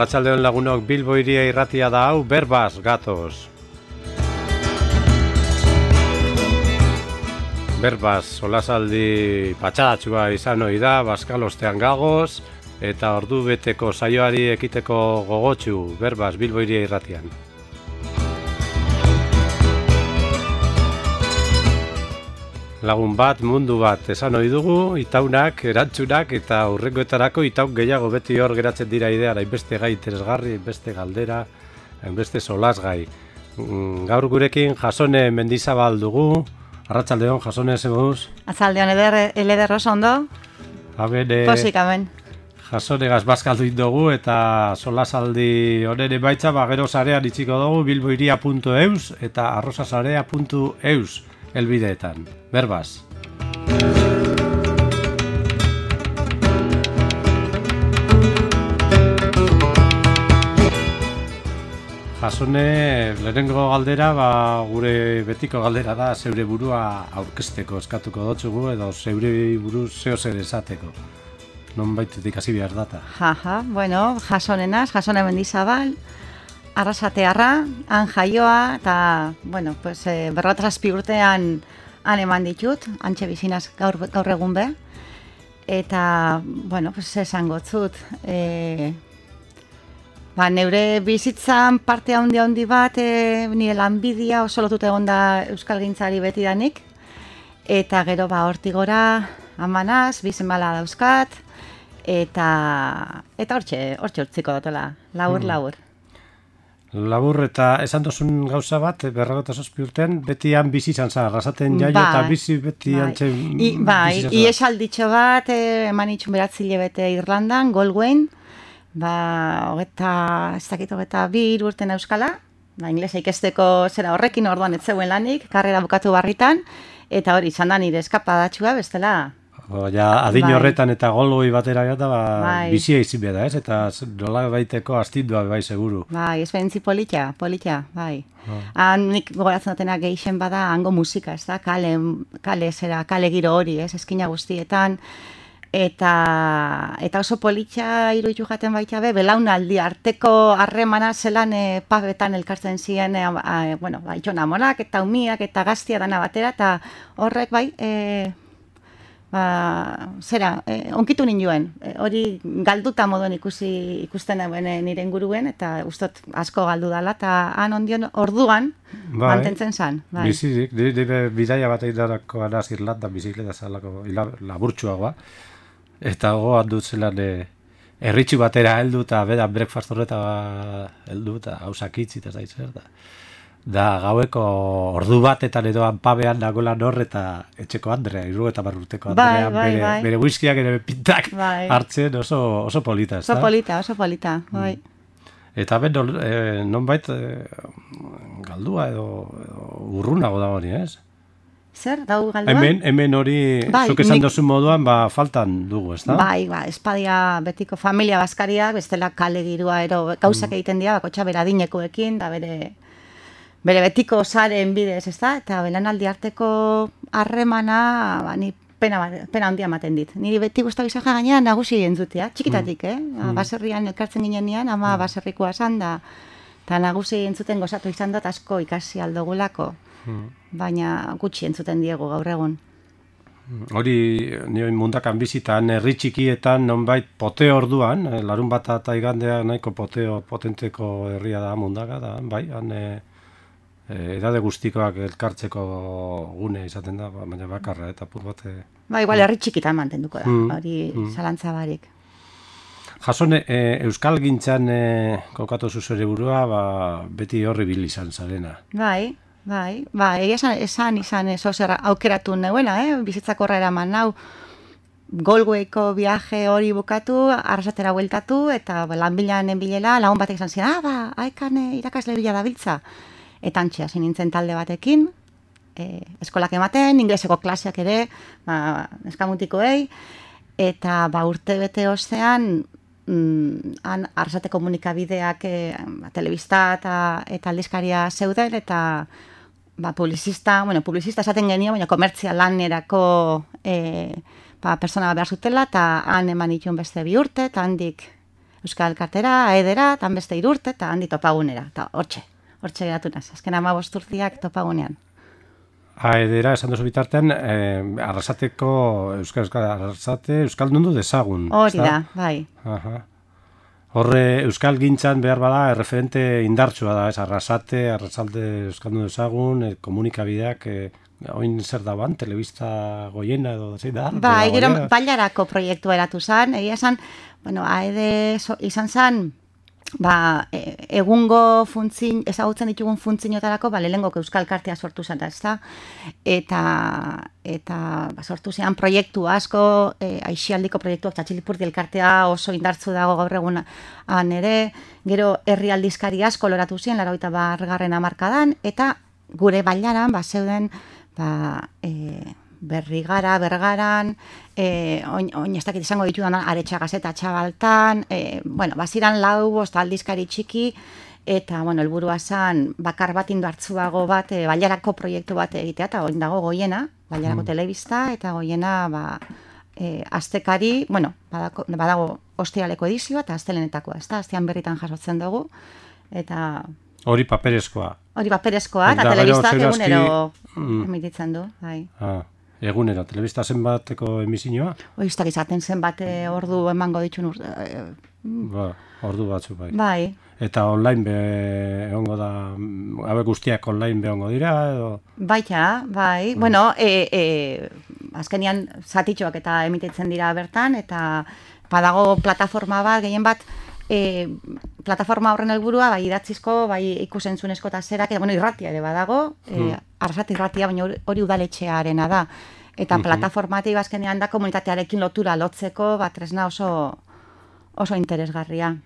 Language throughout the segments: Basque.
Arratsaldeon lagunok, Bilbo Hiria irratia da hau, berbaz gatoz. Berbaz, solasaldi patxadatxua izan ohi da, Baskalostean gagoz, eta ordu beteko saioari ekiteko gogotsu, berbaz, Bilbo Hiria irratian. Lagun bat, mundu bat, esan ohi dugu, itaunak, erantzunak eta hurrengoetarako itaun gehiago beti hor geratzen dira ideara, hainbeste gai interesgarri, hainbeste galdera, hainbeste solasgai. Gaur gurekin Jasone Mendizabal dugu. Arratsaldeon, Jasone, zemuz? Arratsaldeon, eder oso ondo? Posik, amen. Jasonegaz bazkaldu dugu eta solasaldi honen emaitza gero sarean itziko dugu bilbohiria.eus eta arrosasarea.eus elbideetan. Berbaz. Jasone, lehenengo galdera, gure betiko galdera da, zeure burua aurkezteko eskatuko dotzugu, edo zeure buru zeo zer esateko. Non baitetik hasi behar data. Bueno, Jasonenaz, Jasone Mendizabal, Arrasatearra, han jaioa, eta, bueno, pues, 47 urtean han eman ditut, hantxe bizinaz gaur egun be, eta, bueno, pues, esan gotzut, neure bizitzan parte handi bat, nire lanbidia oso lotut egon da euskalgintzari betidanik, eta gero hortik gora amanaz, bizenbala dauzkat, eta hortxe urtziko dutela, labur. Labur eta esan dozun gauza bat, 47 urtean, beti han bizi izan zara, Arrasaten jaio eta bizi beti antxe bizi izan zara. Iesalditxo bat, eman itxun beratzile bete Irlandan, Galway, hogeita bi urten euskala, inglesa ikesteko zera horrekin orduan ez zeuen lanik, karrera bukatu barritan, eta hori izan da nire eskapadatxua bestela. Adin horretan eta Galway batera gata, bizia izin beda, ez? Eta nola baiteko astindua bai seguru. Esperientzi polita, bai. Nik gogoratzen dutena gehixen bada hango musika, ez da? Kale giro hori, ez? Eskina guztietan. Eta oso politxa iruditu jaten baita be, belaunaldi arteko harremana zelan pabetan elkartzen ziren, itxona monak eta umiak eta gaztia dana batera, eta horrek bai, onkitu ninduen, hori galduta moduen ikusten duen nire inguruen, eta ustot asko galdu dela, eta han ondion orduan mantentzen zan. Bizirik, nire bidaia bat eidarako anaz Irlandan bizikleta zalako laburtsuagoa, eta gogoan dut zelan erritxu batera heldu eta bedan breakfast horreta heldu eta hausak itzi eta zaitzer da. Da gaueko ordu batetan edo pabean nagolan hor eta etxeko Andrea, 70 urteko Andrea, bere whiskiak ere pintak hartzen oso polita, ez da? Oso polita, bai. Eta nonbait galdua edo urrunago da hori, ez? Zer, dau galdua? Hemen hori, zuk esan dozun moduan, faltan dugu, ez da? Bai, espadia betiko familia baskaria, bestela kale girua, gauzak egiten dira, bakotxa beradinekoekin, da bere betiko zaren bidez, ez da? Eta belanaldi arteko harremana, ni pena handia ematen dit. Niri beti guztu bizaja gainean nagusi entzutea, txikitatik, baserrian elkartzen ginean, ama baserrikoa zan da, eta nagusi entzuten gozatu izan dut asko ikasi aldogulako, baina gutxi entzuten diegu gaur egun. Hori, nioin mundakan bizitan, herri txikietan, nonbait pote orduan, larun bat eta igandea nahiko potenteko herria da mundaka, da, bai, edade guztikoak elkartzeko gune izaten da, baina bakarra eta pur bate... Igual herri txikitan mantenduko da, hori zalantza barik. Jasone, Euskal Gintzan kokatu zuzure burua, beti horri bil izan zarena. Bai, esan izan zer aukeratu neuena, bizitzako horra eraman nau, Galwayko viaje hori bukatu, Arrasatera bueltatu, eta lanbilan bilela, lagun batek izan ziren, haikan irakasle bila dabiltza. Eta antxea nintzen talde batekin, eskolak ematen, ingleseko klaseak ere, eskamutikoei, eta urte bete ostean, han Arrasate komunikabideak telebista eta aldizkaria zeuden, eta publizista esaten genio, baina komertzia lanerako persona behar zutela, eta han eman dituen beste 2 urte, eta handik Euskal Kartera, Aedera, tan beste 3 urte, eta handi topagunera, eta hortxe geratu naz, azken 15 urteak topagunean. Aedera, esan duzu bitartean, Arrasateko Arrasate Euskaldundu dezagun. Hori da, bai. Aha. Horre Euskal Gintzan behar bada referente indartsua da, Arrasate Euskaldundu dezagun, komunikabideak, oin zer da ban, telebista goiena edo zein da? Bai, gero bailarako proiektu eratu zen, egia zen, bueno, Aede izan zen, egungo funtzin, ezagutzen ditugun funtzinotarako, lehenengoko Euskal Kartea sortu zen, ezta? Eta sortu zean proiektu asko, aixialdiko proiektuak, Txatxilipurdi elkartea oso indartzu dago gaur egunan ere, gero herri aldizkari asko loratu ziren, 80. hamarkadan, eta gure bailaran, zeuden, Bergaran, oin ez dakit izango ditudan Aretxa Gazeta Txabaltan, baziran 4-5 aldizkari txiki, eta, helburua zen bakar bat indartzuago bat, bailarako proiektu bat egitea, eta oin dago Goiena, bailarako telebista, eta Goiena, astekari, badago ostiraleko edizioa, eta astelenetakoa, ez da, astean berritan jasotzen dugu, eta... Hori paperezkoa. Eta telebistak egunero emititzen du, bai. Egunero, telebista zenbateko emisioa? Oiztak izaten zenbat ordu emango ditun ordu batzu, bai. Bai. Eta online egongo da, hauek guztiak online egongo dira, edo? Baita, bai. Bueno, azkenian zatitxoak eta emititzen dira bertan, eta badago plataforma bat, gehien bat, plataforma horren helburua, idatzizko, ikusentzunezko eta zerak, irratia ere badago, Arrasate irratia, baina hori udaletxearena da. Eta plataformatik azkenean da komunitatearekin lotura lotzeko, tresna oso interesgarria.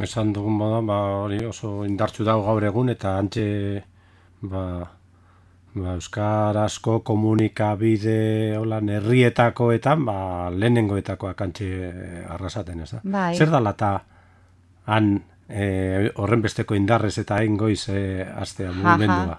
Esan dugun modan, hori oso indartsu dago gaur egun, eta antxe, euskarazko komunikabide herrietakoetan, lehenengoetakoak antxe Arrasaten, ez da? Bai. Zer dala eta han horren besteko indarrez eta hain goiz astea mugimendua?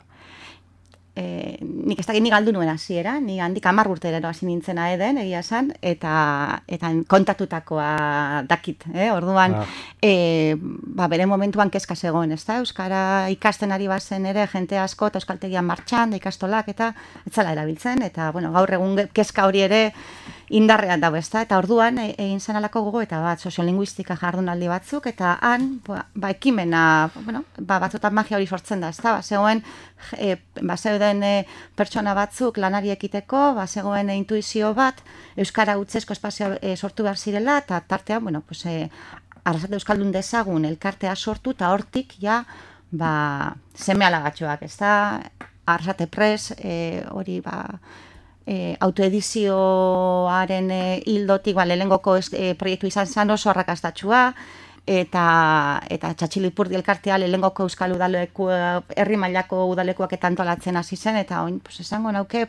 Nik ez dakit ni galdu nuen hasiera, ni handik 10 urterero hasi nintzen Aeden, egia esan, eta kontatutakoa dakit, orduan, bere momentuan kezka zegoen, ez da? Euskara ikasten ari bazen ere, jente asko, eta euskaltegian martxan, da ikastolak, eta ez zela erabiltzen, eta gaur egun kezka hori ere indarrean dago, ez da? Eta orduan, egin zen alako gogo, eta soziolinguistika jardunaldi batzuk, eta han, ekimena, batzutan magia hori sortzen da, ez da? Zegoen, zeuden pertsona batzuk lanari ekiteko, zegoen intuizio bat, euskara utzezko espazio sortu behar zirela, eta tartean, Arrasate Euskaldun dezagun elkartea sortu, eta hortik, seme-alagatxoak, ez da? Arrasate Press, hori, autoedizioaren hildotik, lehenengoko proiektu izan zen oso arrakastatxua, eta Txatxilipurdi elkartea lehenengoko euskal udaleku, herri mailako udalekuak eta antolatzen hasi zen, eta oin, esango nauke,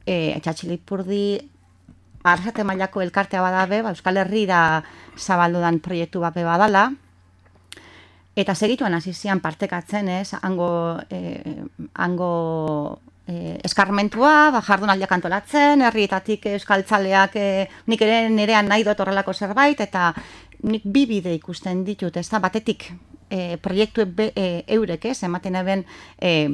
Txatxilipurdi Arrasate mailako elkartea badabe, Euskal Herrira zabaldudan proiektu bape badala, eta segituan hasi zian partekatzen, hango eskarmentua, jardunaldiak antolatzen, herrietatik euskaltzaleak, nik ere nerean nahi dut horrelako zerbait, eta nik 2 bide ikusten ditut, ez da, batetik proiektu eurek, ematen eben, ez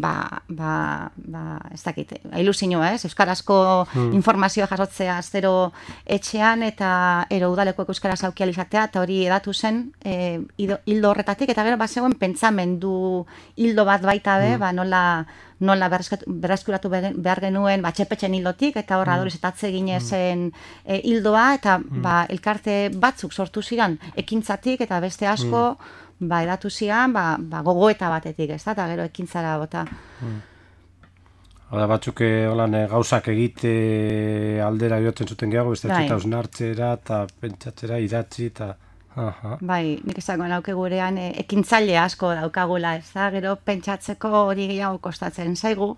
dakit, ilusioa, euskarazko informazioa jasotzea aztero etxean, eta udalekuek euskaraz aukializatea, eta hori edatu zen hildo horretatik, eta gero zegoen pentsamendu hildo bat baita be, nola berreskuratu behar genuen txepetxen hildotik, eta horra adorizetatze ginezen hildoa, eta elkarte batzuk sortu ziren ekintzatik, eta beste asko edatu zian gogoeta batetik, ez da, eta gero ekintzara bota. Hala batzuk gauzak egite aldera jotzen zuten gehiago, ez da hausnartzera eta pentsatzera idatzi eta... Bai, nik esango nauke gurean ekintzaile asko daukagula, ez da, gero pentsatzeko hori gehiago kostatzen zaigu,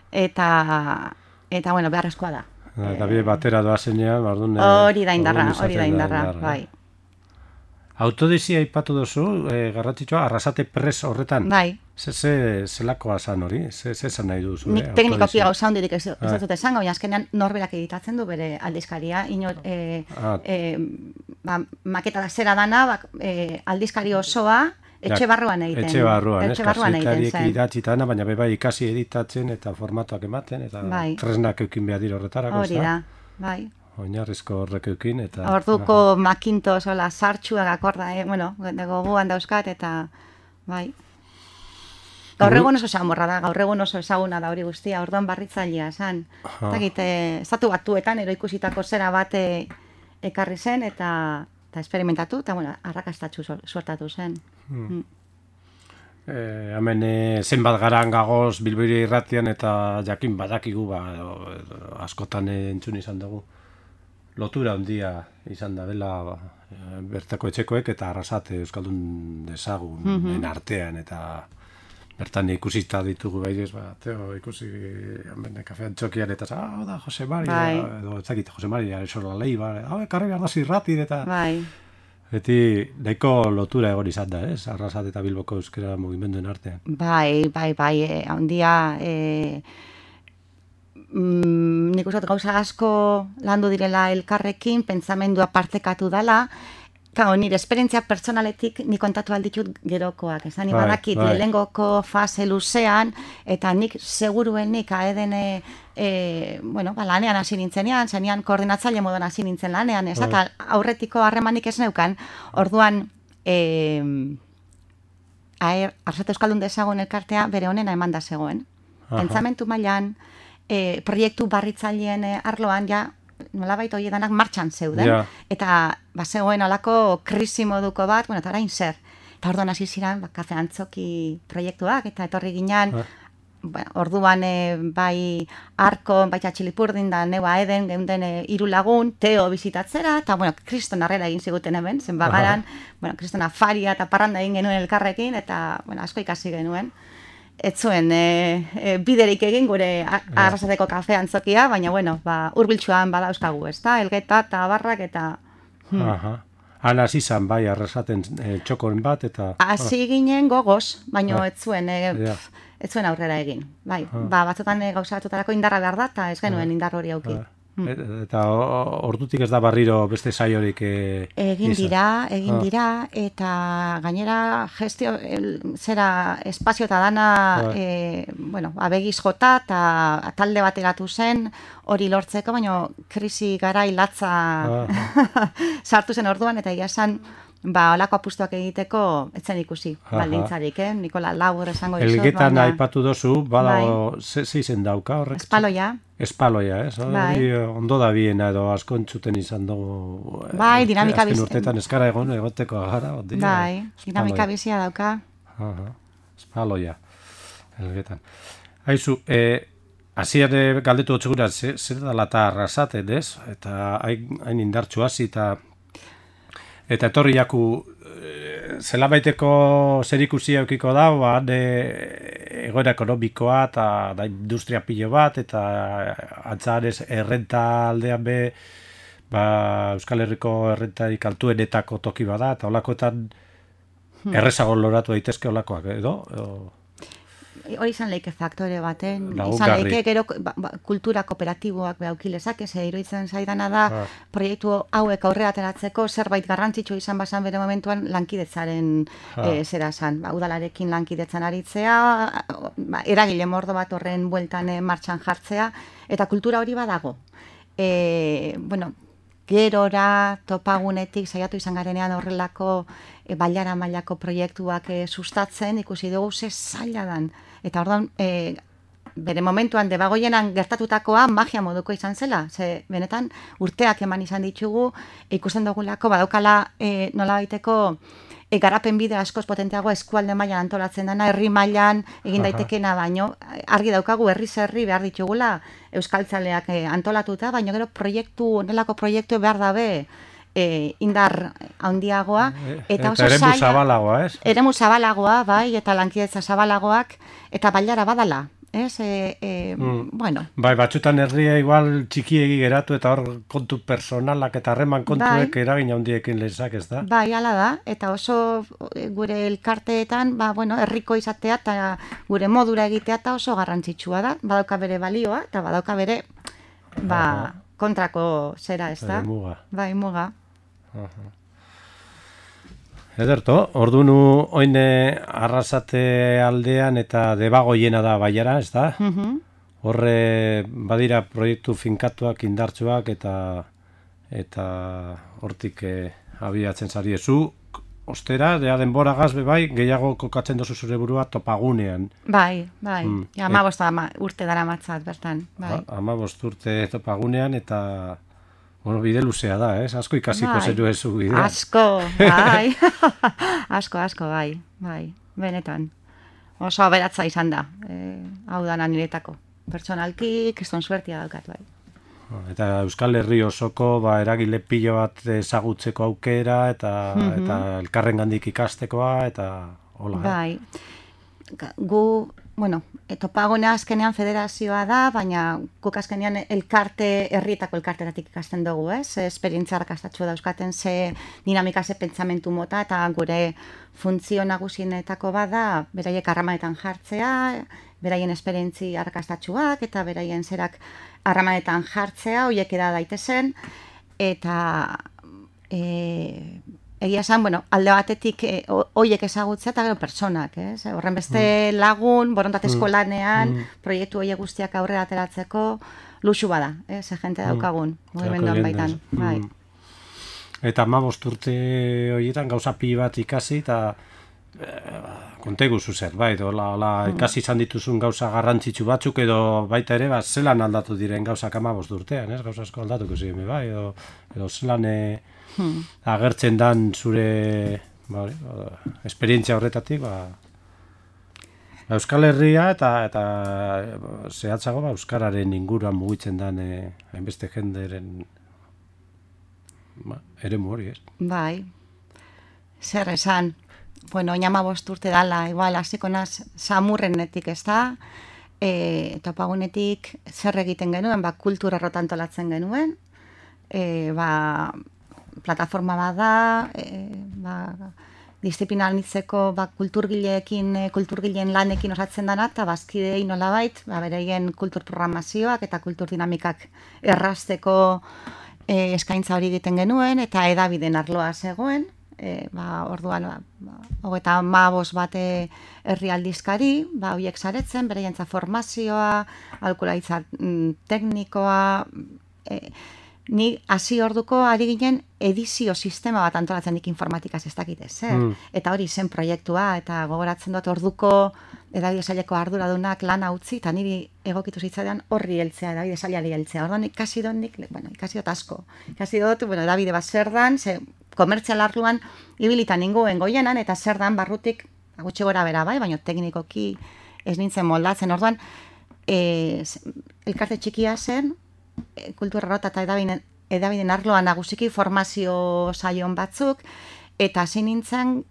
eta beharrezkoa da. Eta bide batera doazenean, hori da indarra, bai. Autodizia aipatu duzu, garrantzitsua, Arrasate Press horretan. Bai. Zelakoa zan hori? Ze zan nahi duzu? Nik teknikoki gauza hondirik ez dut esango, baina azkenean norberak editatzen du bere aldizkaria. maketa zera dana, aldizkari osoa, etxe barruan egiten. Etxe barruan, egiten zen. idatzitana, baina bai ikasi editatzen eta formatuak ematen, eta tresnak eukin behar dira horretarako. Hori da, bai. Oinarrizko horrek eukin, eta... Orduko Macintosh, sartxuak akorda, gogoan dauzkat, eta bai. Gaur egun oso samorra da, gaur egun oso ezaguna da hori guztia, orduan barritzailea esan. Estatu Batuetan ikusitako zera bat ekarri zen, eta esperimentatu, eta arrakastatxu suertatu zen. Hemen zenbat garan gagoz Bilbiri irratian, eta jakin badakigu, askotan entzun izan dugu. Lotura handia izan da dela bertako etxekoek eta Arrasate euskaldun dezagun artean, eta bertan ikusita ditugu baiz, ikusi kafean txokian eta da Jose Mari, edo etzakit Jose Mari, esorla lehi, karri behar da zirratin, eta beti nahiko lotura egon izan da, Arrasate eta Bilboko euskera mugimenduen artean. Bai, handia... nik uste gauza asko landu direla elkarrekin, pentsamendua partekatu dela, nire esperientzia pertsonaletik nik kontatu alditut gerokoak, ni badakit lehengoko fase luzean, eta nik seguruenik aeden lanean hasi nintzenean, zenean koordinatzaile moduan hasi nintzen lanean, eta aurretiko harremanik ez neukan, orduan Arrasate Euskaldun dezagun elkartea bere honena eman da zegoen. Pentsamentu mailan, proiektu barritzaileen arloan nolabait horiedanak martxan zeuden, eta zegoen olako krisi moduko bat, eta orain zer. Eta orduan hasi ziren, kafe antzoki proiektuak, eta etorri ginen, orduan bai Arko, bai Txatxilipurdin da Neba Eden, geunden 3 lagun, Teo bizitatzera, eta kriston arrela egin ziguten hemen, zen bagaran, kriston afaria eta parranda egin genuen elkarrekin, eta asko ikasi genuen. Ez zuen biderik egin gure Arrasateko kafe antzokia, baina hurbiltsuan badauzkagu, Elgeta eta Abarrak eta... Han hasi izan bai Arrasaten txokoren bat eta... Hasi ginen gogoz, baina ez zuen aurrera egin. Batzutan gauza batutarako indarra behar da, eta ez genuen indar hori auki. Eta ordutik ez da barriro beste saiorik egin dira, eta gainera gestio zera espazio eta dana abegiz jota eta talde bat eratu zen hori lortzeko, baina krisi garai latza sartu zen orduan, eta egia esan olako apustuak egiteko etzen ikusi baldintzarik, Nikola labur esango dizut. Elgetan aipatu dozu, badago zeizen dauka horrek? Espaloia, hori ondo da biena edo asko entzuten izan dugu. Bai, dinamika bizia. Azken urtetan eskara egoteko gara. Bai, dinamika bizia dauka. Espaloia, Elgetan. Haizu, hasier galdetu otzegura, zer da lata Arrasaten, ez? Eta hain indartxu hasi eta etorri jaku zelabaiteko zerikusia eukiko da, egoera ekonomikoa eta industria pilo bat, eta antzarez errenta aldean Euskal Herriko errentarik altuenetako toki bada, eta olakoetan errezago loratu daitezke olakoak, edo? Hori izan leike faktore baten, izan leike gero kultura kooperatiboak behaukilezak, iruditzen zaidana da proiektu hauek aurrera ateratzeko zerbait garrantzitsu izan bazan bere momentuan lankidetzaren zera zan. Udalarekin lankidetzan aritzea, eragile mordo bat horren bueltan martxan jartzea, eta kultura hori badago. Gerora, topagunetik, saiatu izan garenean horrelako bailara mailako proiektuak sustatzen, ikusi dugu ze zaila dan. Eta orduan, bere momentuan debagoienan gertatutakoa magia moduko izan zela. Ze benetan urteak eman izan ditugu, ikusten dugulako badaukala nola baiteko garapen bide askoz potenteago eskualde mailan antolatzen dena, herri mailan egin daitekena, baino argi daukagu herriz herri behar ditugula euskaltzaleak antolatuta, baino gero nelako proiektu behar dabe indar handiagoa, eta oso eremu zabalagoa, ez? Eremu zabalagoa, bai, eta lankidetza zabalagoak, eta bailara badala. Bai, batzutan herria igual txikiegi geratu eta hor kontu personalak eta harreman kontuek eragin handiekin lezak, ez da? Bai, hala da, eta oso gure elkarteetan, herriko izatea eta gure modura egitea eta oso garrantzitsua da, badauka bere balioa eta badauka bere kontrako zera, ez da? Muga. Bai, muga. Ederto, ordunu oine Arrasate aldean eta Debagoiena da Baiara, ez da? Horre badira proiektu finkatuak, indartsuak eta hortik abiatzen zari zu. Ostera, denbora gazbe bai, gehiago kokatzen dozu zure burua topagunean. Bai. Ja, 15 urte dara matzat, bertan. Bai. 15 urte topagunean eta... Bueno, bide luzea da, ez? Asko ikasiko zeru ezu bidea. Asko, bai. asko, bai. Benetan. Oso aberatza izan da. Hau da niretako. Pertsonalki, kriston suertia daukat, bai. Eta Euskal Herri osoko eragile pilo bat ezagutzeko aukera eta elkarrengandik ikastekoa eta hola. Bai. Gu, Topagune azkenean federazioa da, baina guk azkenean herrietako elkarteratik ikasten dugu, ez? Esperientzia arrakastatxua dauzkaten ze dinamika, ze pentsamentu mota, eta gure funtzio nagusienetako bada, beraiek harramanetan jartzea, beraien esperientzi arrakastatxuak, eta beraien zerak harramanetan jartzea, horiek eda daitezen, eta egia esan, alde batetik horiek ezagutzea eta gero personak, ez? Horren beste lagun, borondatezko lanean, proiektu horiek guztiak aurrera ateratzeko, luxu bada, ze jente daukagun, mugimenduan baitan. Bai. Eta 15 urte horietan gauza pili bat ikasi, eta kontegu zuzer, bai, ikasi izan dituzun gauza garrantzitsu batzuk, edo baita ere, zelan aldatu diren gauzak 15 urtean, ez? Gauza asko aldatuko ziren, bai, edo zelan agertzen dan zure esperientzia horretatik, Euskal Herria eta zehatzago Euskararen inguruan mugitzen dan hainbeste jenderen eremu hori, ez? Bai, zer esan, oin 15 urte dala, igual, hasiko naz Samurrenetik, ez da, Topagunetik zer egiten genuen, kultura rotantolatzen genuen, plataforma bada, disiplina anitzeko kulturgileen lanekin osatzen dana, eta bazkidei nolabait, beraien kulturprogramazioak eta kulturdinamikak errazteko eskaintza hori egiten genuen, eta edabideen arloa zegoen, orduan, 35 bat herrialdizkari, horiek saretzen, beraientza formazioa, aholkularitza teknikoa, ni hasi orduko ari ginen edizio sistema bat antolatzen dik informatikaz ez dakit zer. Eta hori zen proiektua, eta gogoratzen dut orduko edabide saileko arduradunak lana utzi, eta niri egokitu zitzaidan horri heltzea, edabide sailari heltzea. Orduan ikasi dut asko. Ikasi dut, edabide bat zer dan, komertzial arloan ibilitan ninguen goienan, eta zer dan barrutik, gutxi gora bera bai, baina teknikoki ez nintzen moldatzen. Orduan, elkarte txikia zen, kultura rota eta edabideen arloan nagusiki formazio saion batzuk, eta hasi nintzen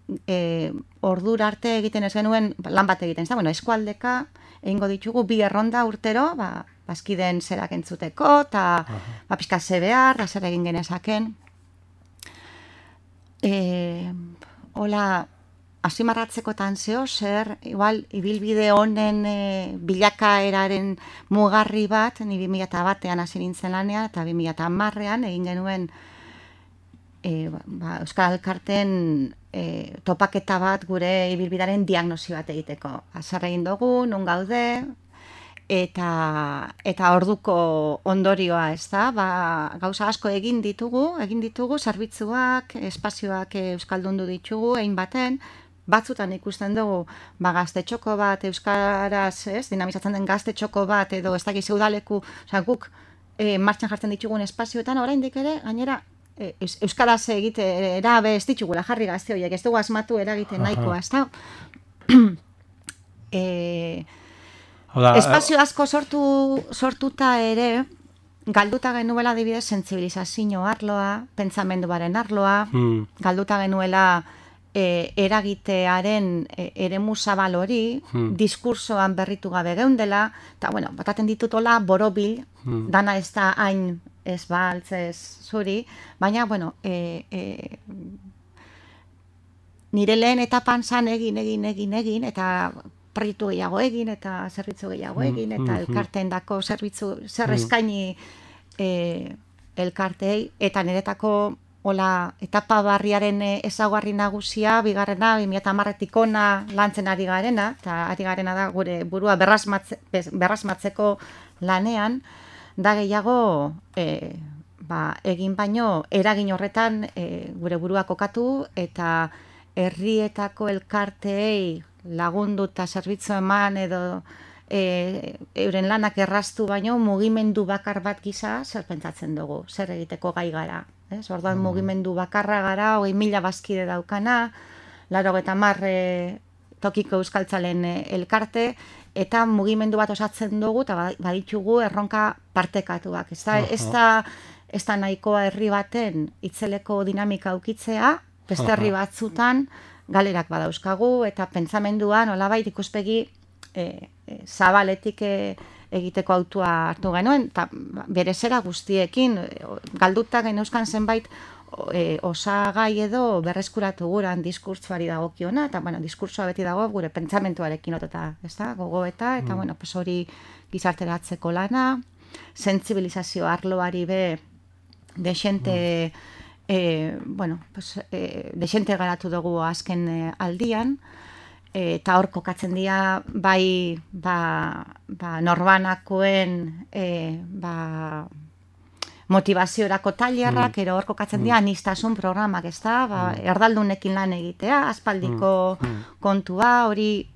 ordura arte egiten ez genuen lan bat egiten. Eskualdeka egingo ditugu 2 erronda urtero, bazkideen zerak entzuteko, eta pixka ze behar, zer egin genezaken. Hola, azimarratzekotan zeo, zer, igual, ibilbide honen bilakaeraren mugarri bat, ni 2001an hasi nintzen lanean, eta 2010an egin genuen Euskal Elkarteen topaketa bat gure ibilbidearen diagnosi bat egiteko. Zer egin dugu, non gaude, eta orduko ondorioa, ez da, gauza asko egin ditugu, zerbitzuak, espazioak euskaldundu ditugu, egin baten, batzutan ikusten dugu, gaztetxoko bat euskaraz, dinamizatzen den gaztetxoko bat, edo ez dakiz udaleku, guk martxan jartzen ditugun espazioetan, oraindik ere, gainera, euskaraz egitera ez ditugula jarri gazte horiek, ez dugu asmatu eragiten nahikoa, ez da? Espazio asko sortuta ere, galduta genuela adibidez sentsibilizazio arloa, pentsamenduaren arloa, galduta genuela eragitearen eremu zabal hori, diskursoan berritu gabe geundela, eta bataten ditutola borobil, dana ez da hain ez baltz ez zuri, baina, nire lehen etapan zan egin, eta proiektu gehiago egin, eta zerbitzu gehiago egin, eta elkarteen dako zerbitzu, zer eskaini elkartei, eta niretako hola, etapa barriaren ezaugarri nagusia, bigarrena, 2010-etik ona lantzen ari garena, eta ari garena da gure burua berrasmatzeko lanean, da gehiago egin baino eragin horretan gure burua kokatu eta herrietako elkarteei lagundu eta zerbitzu eman edo euren lanak erraztu baino mugimendu bakar bat gisa zer pentsatzen dugu, zer egiteko gai gara. Orduan mugimendu bakarra gara, 20.000 bazkide daukana, 80 tokiko euskaltzalen elkarte, eta mugimendu bat osatzen dugu, eta baditugu erronka partekatuak. Ez da nahikoa herri baten itzeleko dinamika aukitzea, beste herri batzutan galerak badauzkagu, eta pentsamenduan, olabait ikuspegi zabaletik egiteko autua hartu genuen, eta bere zera guztiekin, galduta geneuzkan zenbait osagai edo berreskuratu guran diskurtsuari dagokiona, eta diskurtsoa beti dago gure pentsamentuarekin oteta, gogoeta, eta hori gizarteratzeko lana, sentsibilizazio arloari be desente garatu dugu azken aldian, eta hor kokatzen dira bai norbanakoen motivaziorako tailerrak, ero hor kokatzen dira anistasun programak, erdaldunekin lan egitea, aspaldiko kontua, hori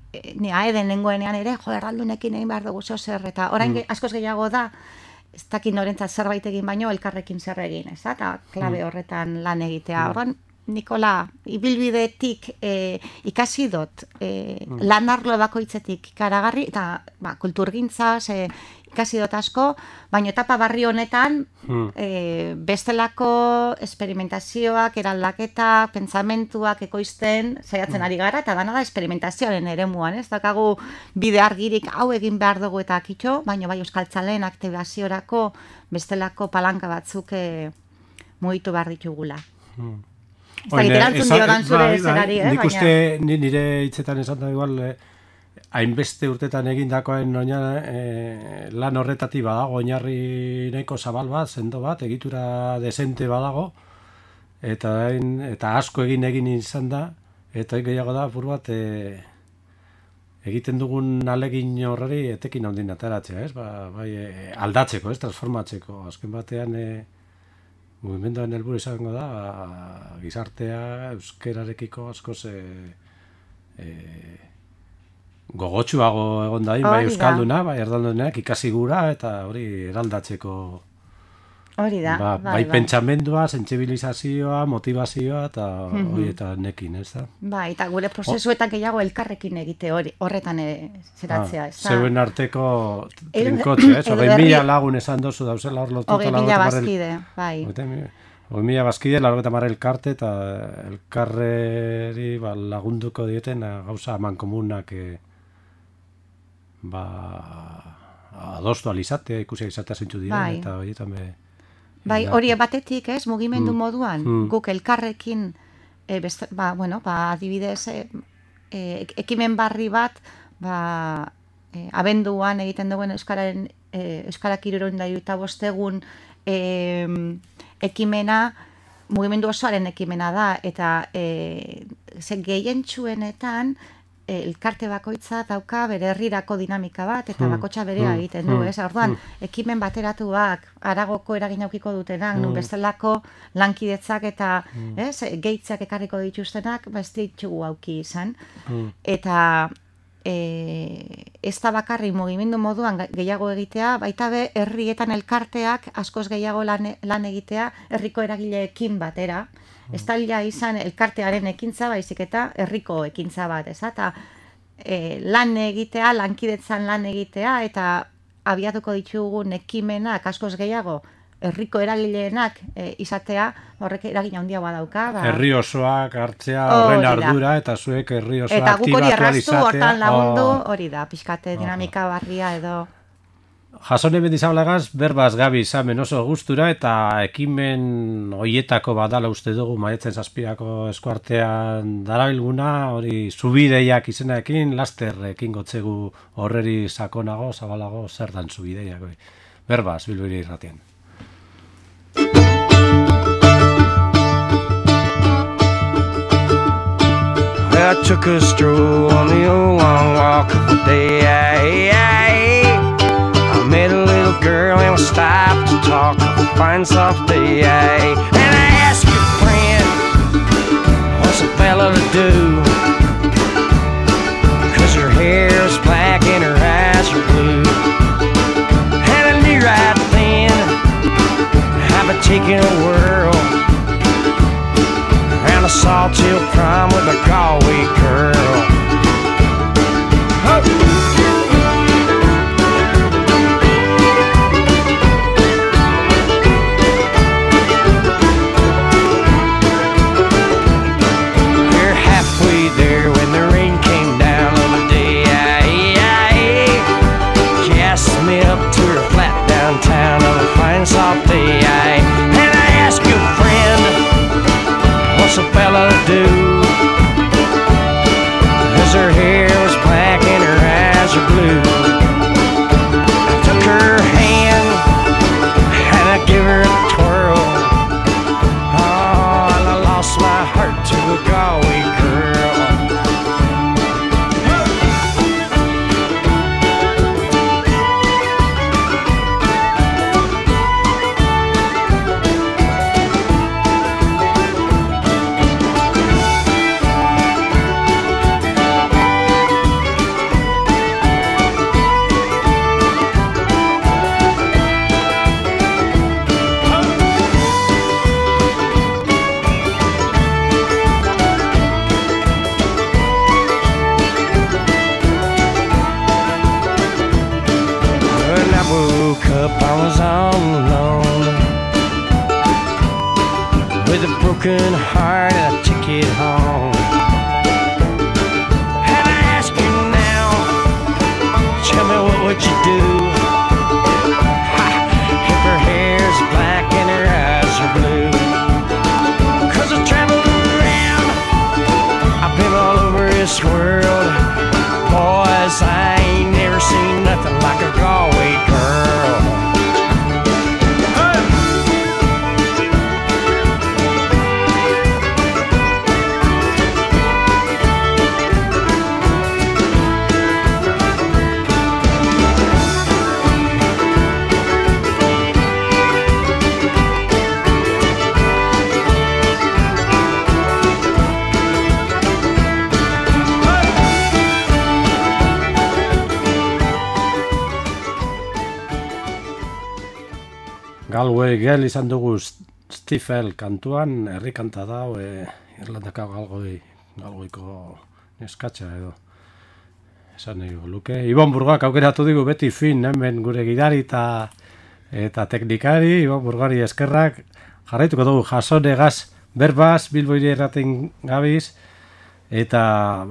aeden nengoenean ere, erdaldunekin egin behar dugu zer, eta orain askoz gehiago da, ez dakin norentzat zerbait egin baino, elkarrekin zer egin, eta klabe horretan lan egitea. Horren, Nikola, ibilbidetik ikasi dut, lan arlo bakoitzetik ikaragarri, eta kulturgintza, ikasi dut asko, baina etapa barri honetan bestelako esperimentazioak, eraldaketak, pentsamentuak ekoizten saiatzen ari gara, eta dana da esperimentazioaren eremuan, ez dakagu bide argirik hau egin behar dugu eta kitxo, baina bai euskaltzaleen aktibaziorako bestelako palanka batzuk mugitu behar ditugula. Nik uste nire hitzetan esan da igual hainbeste urtetan egindakoen lan horretatik badago oinarri nahiko zabal bat, sendo bat, egitura desente badago, eta asko egin izan da, eta gehiago da apur bat egiten dugun alegin horreri etekin handin ateratzea, aldatzeko, transformatzeko, azken batean mugimenduan helburu izango da gizartea euskerarekiko askoz gogotsuago egon dain, bai euskalduna, bai erdaldunak ikasi gura eta hori eraldatzeko hori da, bai pentsamendua, sentsibilizazioa, motivazioa eta hori eta nekin, ez da? Bai, eta gure prozesuetan gehiago elkarrekin egite horretan zeratzea, ez da? Zeuen arteko trinkotxe, 20.000 lagun esan dozu dauzela hor lotuta 20.000 bazkide, bai. 20.000 bazkide, 80 elkarte eta elkarreri lagunduko dieten gauza mankomunak adostu alizatea, ikusi izatea zentzu dira, eta horietan Bai, hori batetik, mugimendu moduan, guk elkarrekin, adibidez, ekimen barri bat, abenduan egiten duen Euskarak 75 egun ekimena, mugimendu osoaren ekimena da, eta gehientsuenetan, elkarte bakoitza dauka bere herrirako dinamika bat, eta bakotxa berea egiten du, Orduan, ekimen bateratuak, aragoko eragin aukiko dutenak, nun bestelako lankidetzak eta gehitzak ekarriko dituztenak, ez ditugu auki izan. Eta ez da bakarri mugimendu moduan gehiago egitea, baita be herrietan elkarteak askoz gehiago lan egitea herriko eragileekin batera. Ez talia izan elkartearen ekintza, baizik eta herriko ekintza bat, eta lan egitea, lankidetzan lan egitea, eta abiatuko ditugun ekimenak askoz gehiago herriko eragileenak izatea, horrek eragina handia badauka. Herri osoak hartzea horren ardura, eta zuek herri osoa aktibatu alizatea. Eta guk hori erraztu, hortan lagundu, hori da, pixkate dinamika barria edo... Jasone Mendizabalagas berbaz gabi izamen oso gustura eta ekimen hoietako badala uste dugu maiatzen 7ko eskuartean darabilguna, hori zubideiak izenarekin, laster ekingo gotzegu horreri sakonago, zabalago, zer dan zubideiak. Berbaz, Bilbiri irratian. I took a stroll on the old long walk of the day. I met a little girl and we stopped to talk on a fine soft day. And I asked your friend, what's a fella to do? 'Cause her hair is black and her eyes are blue. And I knew right then I've been taking a whirl around a Sawtell prom with a Galway girl. We're halfway there when the rain came down on the day. She asked me up to her flat downtown on a fine soft day. And I asked your friend, what's a fella to do? 'Cause her hair was black and her eyes are blue. I took her hand and I gave her a twirl. Oh, and I lost my heart to a Galway girl. When I woke up, I was all alone with a broken heart and a ticket home. And I ask you now, tell me what would you do? Ha, if her hair's black and her eyes are blue. 'Cause I traveled around, I've been all over this world. Boys, I ain't never seen nothing like a Galway girl. Galway Girl izan dugu Stifel kantuan, herri kanta da, Irlandako Galwayko neskatxa edo. Esan nahi luke. Ibon Burgak aukeratu digu beti fin, hemen gure gidari eta teknikari, Ibon Burgari eskerrak, jarraituko dugu jasonegaz, berbaz, Bilboire erraten gabiz, eta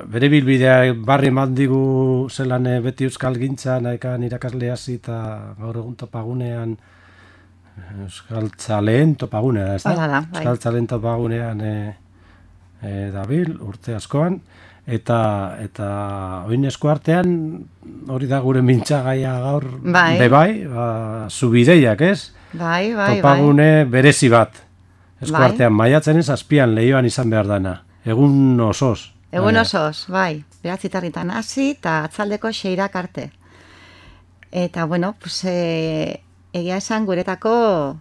bere bilbidea barri eman digu zelan beti euskal gintza, nahekan irakasle hasi eta gaur egun topagunean euskal txaleen topagunea, ez da? Hala da, bai. Euskal txaleen topagunean dabil, urte askoan, eta oin eskuartean, hori da gure mintzagaia gaur, Bai. bebai, zubideiak, ez? Bai, bai, Topagune berezi bat. Eskuartean, maiatzen ez, azpian lehioan izan behar dana. Egun osoz. Egun osoz, bai. Beratzitarritan hasi eta atzaldeko 6 arte. Eta, bueno, pues, egia esan guretako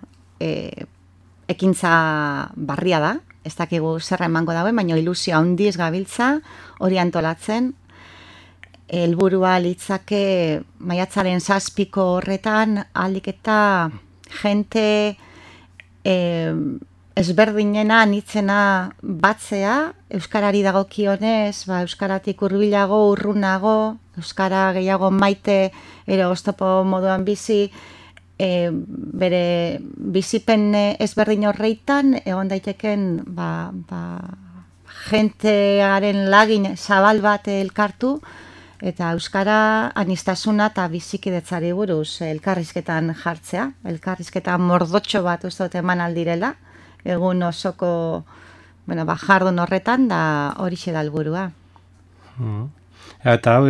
ekintza barria da. Ez dakigu zerra emango dauen, baina ilusio handiz gabiltza hori antolatzen. Helburua litzake maiatzaren 7 horretan aldik eta jente ezberdinena anitzena batzea, euskarari dagokionez, euskaratik hurbilago, urrunago, euskara gehiago maite, ero oztopo moduan bizi, bere bizipen ezberdin horreitan, egon daiteken jentearen lagin zabal bat elkartu, eta euskara anistasuna eta bizikidetzari buruz elkarrizketan jartzea, elkarrizketan mordotxo bat uste dut eman aldirela, egun osoko jardun horretan da horixe da helburua. Eta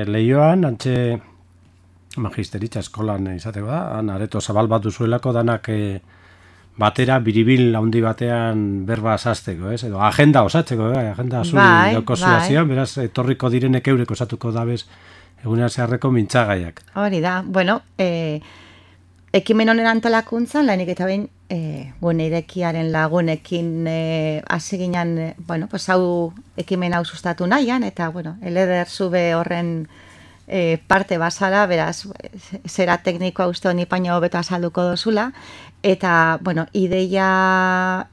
lehioan, antxe magisteritza eskolan izateko da, han areto zabal bat duzuelako danak batera biribil handi batean berba sasteko, ez? Edo agenda osatzeko, agenda zuri dauko zuazian, beraz, etorriko direnek eurek osatuko dabez egunean zeharreko mintzagaiak. Hori da, bueno, ekimen honen antolakuntzan, lehenik eta behin, gune irekiaren lagunekin hasi ginen, bueno, pues hau ekimen hau sustatu nahian, eta, bueno, eleder zube horren parte bazara, beraz, zera teknikoa uste honi paino hobeto azalduko dozula, eta, bueno, ideia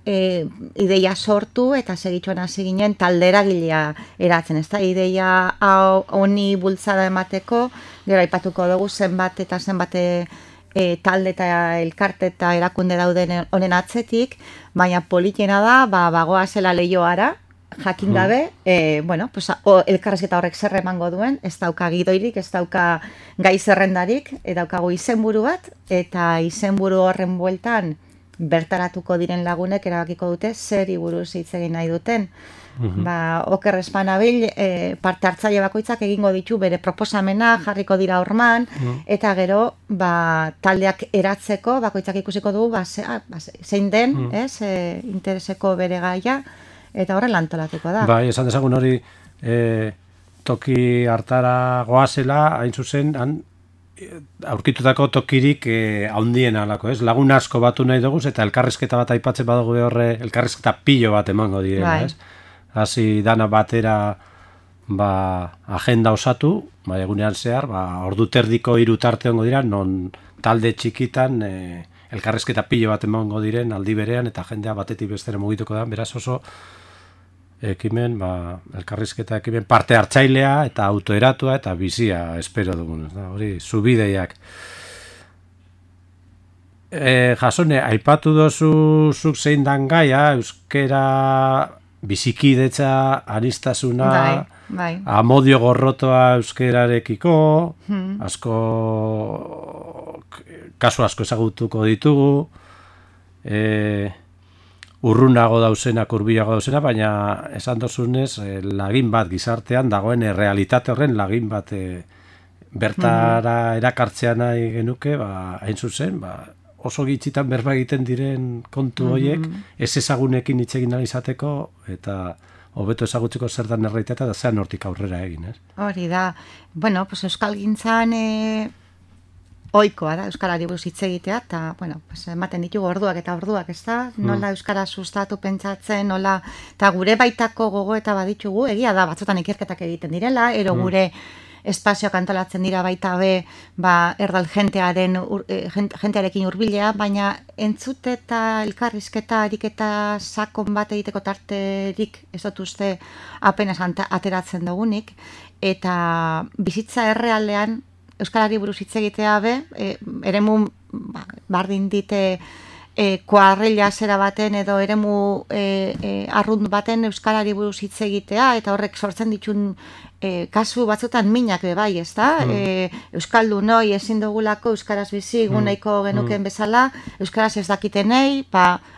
sortu eta segitxoan hasi ginen taldera gilea eratzen, ez da, ideia honi bultzada emateko, gero aipatuko dugu zenbat eta zenbat talde eta elkarte eta erakunde dauden honen atzetik, baina politena da, bagoa zela lehioara, jakin gabe, bueno, pues, elkarrezketa horrek zer emango duen, ez dauka gidoirik, ez dauka gai zerrendarik, daukagu izenburu bat, eta izenburu horren bueltan bertaratuko diren lagunek erabakiko dute zeri buruz hitz egin nahi duten. Oker espanabil, parte hartzaile bakoitzak egingo ditu bere proposamena, jarriko dira horman, eta gero taldeak eratzeko, bakoitzak ikusiko dugu, zein den, intereseko bere gaia, eta horrela antolatuko da. Bai, esan dezagun hori toki hartara goazela, hain zuzen, aurkitutako tokirik haundien alako, ez? Lagun asko batu nahi dugu, eta elkarrizketa bat aipatzen badugu horre, elkarrizketa pilo bat emango direla, ez? Hasi dana batera agenda osatu, egunean zehar, ordu terdiko 3 tarte ongo dira, non talde txikitan elkarrizketa pilo bat emango diren aldi berean, eta jendea batetik bestera mugituko da, beraz oso ekimen, elkarrizketa ekimen parte hartzailea eta autoeratua eta bizia espero dugun, hori zubideiak. Jasone, aipatu dozu zuk zein dan gaia, euskera bizikidetza, anistasuna, amodio gorrotoa euskerarekiko, kasu asko ezagutuko ditugu, urrunago dauzenak, hurbilago dauzenak, baina esan dozunez, lagin bat gizartean dagoen realitate horren lagin bat bertara erakartzea nahi genuke, hain zuzen, oso gitzitan berba egiten diren kontu horiek, ez ezagunekin hitz egin nahi izateko, eta hobeto ezagutzeko zer da errealitatea eta zean hortik aurrera egin, ez? Hori da, bueno, pues euskalgintzan ohikoa da, euskarari buruz hitz egitea, eta, bueno, pues ematen ditugu orduak eta orduak, ez da? Nola euskara sustatu pentsatzen, nola, eta gure baitako gogo eta baditugu, egia da, batzutan ikerketak egiten direla, ero gure espazioak antolatzen dira baita be, erdal jentearekin hurbilea, baina entzute eta elkarrizketa ariketa sakon bat egiteko tarterik ez dut uste apenas ateratzen dugunik, eta bizitza errealean euskarari buruz hitz egitea be, eremu bardin dite kuarrilla zera baten edo eremu arrunt baten euskarari buruz hitz egitea, eta horrek sortzen ditun kasu batzutan minak be bai, ez da? Euskaldunoi ezin dugulako euskaraz bizi guneiko genuken bezala, euskaraz ez dakitenei,